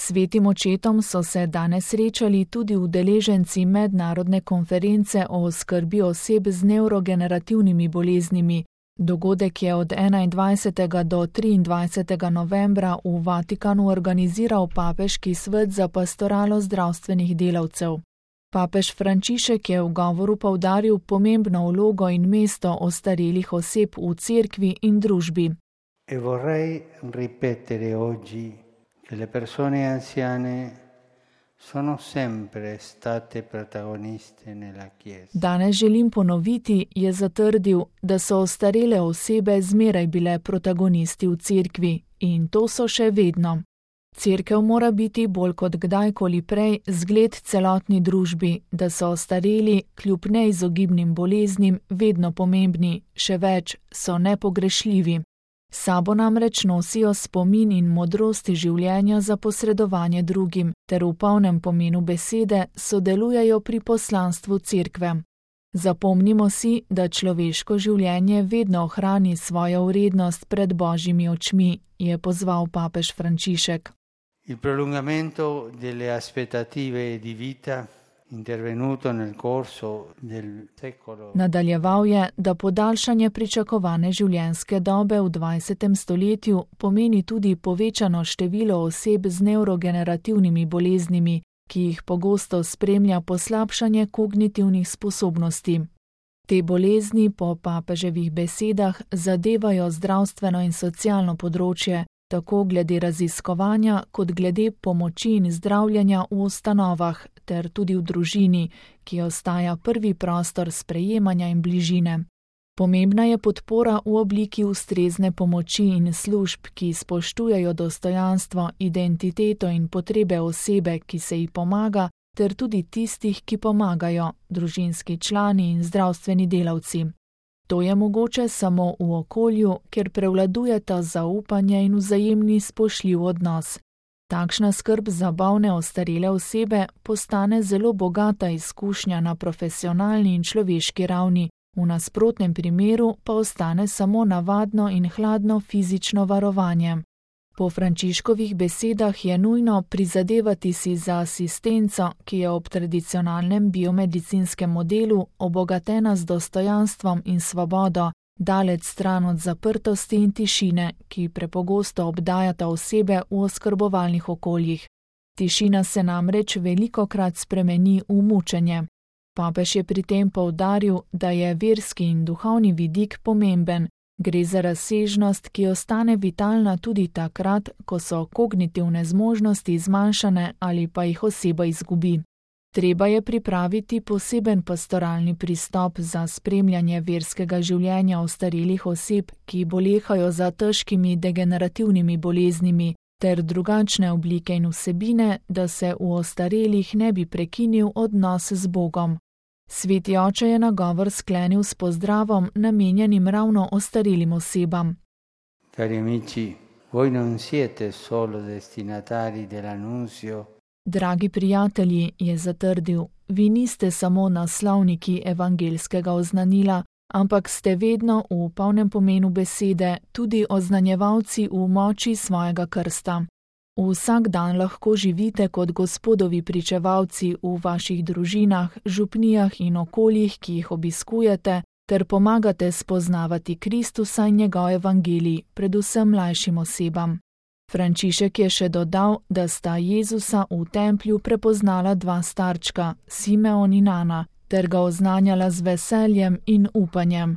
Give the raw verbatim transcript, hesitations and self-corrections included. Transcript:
Svetim očetom so se danes srečali tudi udeleženci mednarodne konference o oskrbi oseb z nevrogenerativnimi boleznimi. Dogodek je od enaindvajsetega do triindvajsetega novembra v Vatikanu organiziral Papeški svet za pastoralo zdravstvenih delavcev. Papež Frančišek je v govoru poudaril pomembno vlogo in mesto ostarelih oseb v cerkvi in družbi. E vorrei ripetere oggi che le persone anziane sono sempre state protagoniste nella Chiesa. Danes želim ponoviti, je zatrdil, da so ostarele osebe zmeraj bile protagonisti v cerkvi in to so še vedno. Cerkev mora biti bolj kot kdajkoli prej zgled celotni družbi, da so ostareli kljub neizogibnim boleznim vedno pomembni, še več, so nepogrešljivi. Sabo namreč nosijo spomin in modrosti življenja za posredovanje drugim, ter v polnem pomenu besede sodelujejo pri poslanstvu cerkve. Zapomnimo si, da človeško življenje vedno ohrani svojo vrednost pred Božjimi očmi, je pozval papež Frančišek. Il prolungamento delle aspettative di vita intervenuto nel corso del secolo. Nadaljeval je, da podaljšanje pričakovane življenjske dobe v dvajsetem stoletju pomeni tudi povečano število oseb z nevrogenerativnimi boleznimi, ki jih pogosto spremlja poslabšanje kognitivnih sposobnosti. Te bolezni po papeževih besedah zadevajo zdravstveno in socialno področje, tako glede raziskovanja kot glede pomoči in zdravljenja v ustanovah ter tudi v družini, ki ostaja prvi prostor sprejemanja in bližine. Pomembna je podpora v obliki ustrezne pomoči in služb, ki spoštujejo dostojanstvo, identiteto in potrebe osebe, ki se ji pomaga, ter tudi tistih, ki pomagajo, družinski člani in zdravstveni delavci. To je mogoče samo v okolju, kjer prevladujeta zaupanje in vzajemni spoštljiv odnos. Takšna skrb za bolne ostarele osebe postane zelo bogata izkušnja na profesionalni in človeški ravni, v nasprotnem primeru pa ostane samo navadno in hladno fizično varovanje. Po Frančiškovih besedah je nujno prizadevati si za asistenco, ki je ob tradicionalnem biomedicinskem modelu obogatena z dostojanstvom in svobodo, daleč stran od zaprtosti in tišine, ki prepogosto obdajata osebe v oskrbovalnih okoljih. Tišina se namreč velikokrat spremeni v mučenje. Papež je pri tem poudaril, da je verski in duhovni vidik pomemben. Gre za razsežnost, ki ostane vitalna tudi takrat, ko so kognitivne zmožnosti zmanjšane ali pa jih oseba izgubi. Treba je pripraviti poseben pastoralni pristop za spremljanje verskega življenja ostarelih oseb, ki bolehajo za težkimi degenerativnimi boleznimi, ter drugačne oblike in vsebine, da se v ostarelih ne bi prekinil odnos z Bogom. Sveti oče je nagovor sklenil s pozdravom, namenjenim ravno ostarelim osebam. Cari amici, voi non siete solo destinatari dell'annunzio. Dragi prijatelji, je zatrdil, vi niste samo naslovniki evangelskega oznanila, ampak ste vedno v polnem pomenu besede tudi oznanjevalci v moči svojega krsta. Vsak dan lahko živite kot Gospodovi pričevalci v vaših družinah, župnijah in okoljih, ki jih obiskujete, ter pomagate spoznavati Kristusa in njegov evangelij, predvsem mlajšim osebam. Frančišek je še dodal, da sta Jezusa v templju prepoznala dva starčka, Simeon in Ana, ter ga oznanjala z veseljem in upanjem.